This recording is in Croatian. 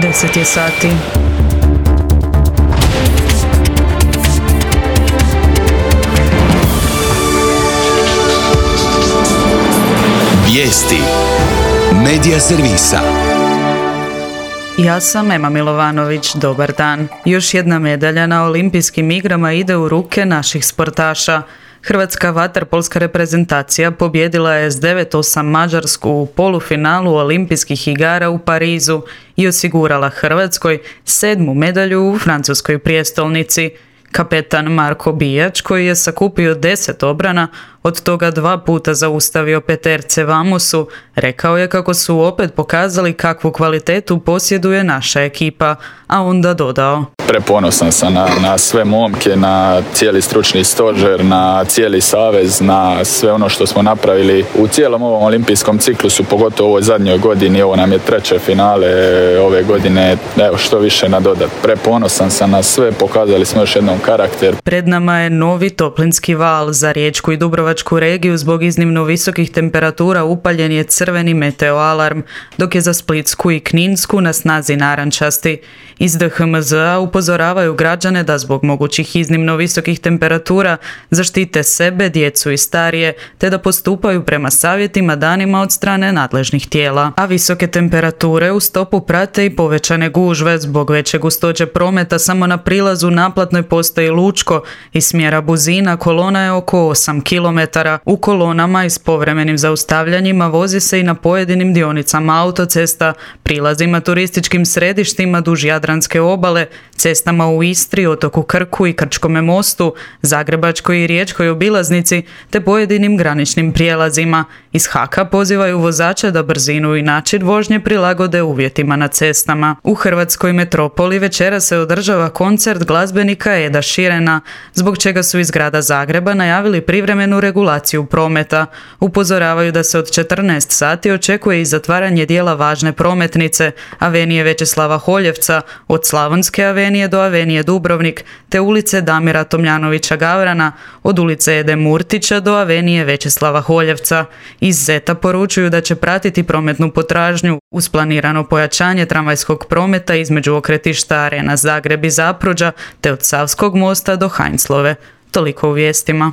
10 je sati. Vijesti Medija servisa. Ja sam Ema Milovanović, dobar dan. Još jedna medalja na olimpijskim igrama ide u ruke naših sportaša. Hrvatska vaterpolska reprezentacija pobijedila je s 9:8 Mađarsku u polufinalu olimpijskih igara u Parizu i osigurala Hrvatskoj 7. medalju u francuskoj prijestolnici. Kapetan Marko Bijač, koji je sakupio 10 obrana, od toga 2 puta zaustavio peterce Vamusu, rekao je kako su opet pokazali kakvu kvalitetu posjeduje naša ekipa, a onda dodao: Preponosan sam na sve momke, na cijeli stručni stožer, na cijeli savez, na sve ono što smo napravili u cijelom ovom olimpijskom ciklusu, pogotovo u ovoj zadnjoj godini. Ovo nam je 3. finale ove godine, evo što više nadodat. Preponosan sam na sve, pokazali smo još jednom karakter. Pred nama je novi toplinski val. Za Riječku i Dubrovačku regiju zbog iznimno visokih temperatura upaljen je crveni meteo alarm, dok je za Splitsku i Kninsku na snazi narančasti. Iz DHMZ-a upozoravaju građane da zbog mogućih iznimno visokih temperatura zaštite sebe, djecu i starije, te da postupaju prema savjetima danima od strane nadležnih tijela. A visoke temperature u stopu prate i povećane gužve zbog veće gustoće prometa. Samo na prilazu naplatnoj postaji Lučko iz smjera Buzina kolona je oko 8 km. U kolonama i s povremenim zaustavljanjima vozi se i na pojedinim dionicama autocesta, prilazima turističkim središtima duž Jadranske obale, cestama u Istri, otoku Krku i Krčkome mostu, Zagrebačkoj i Riječkoj obilaznici te pojedinim graničnim prijelazima. Iz HAK-a pozivaju vozače da brzinu i način vožnje prilagode uvjetima na cestama. U hrvatskoj metropoli večeras se održava koncert glazbenika Eda Sheerana, zbog čega su iz grada Zagreba najavili privremenu regulaciju prometa. Upozoravaju da se od 14 sati očekuje i zatvaranje dijela važne prometnice, avenije Večeslava Holjevca, od Slavonske avenije do avenije Dubrovnik, te ulice Damira Tomljanovića Gavrana, od ulice Ede Murtića do avenije Večeslava Holjevca. Iz Zeta poručuju da će pratiti prometnu potražnju uz planirano pojačanje tramvajskog prometa između okretišta Arena Zagreb i Zapruđa, te od Savskog mosta do Heinzlove. Toliko u vijestima.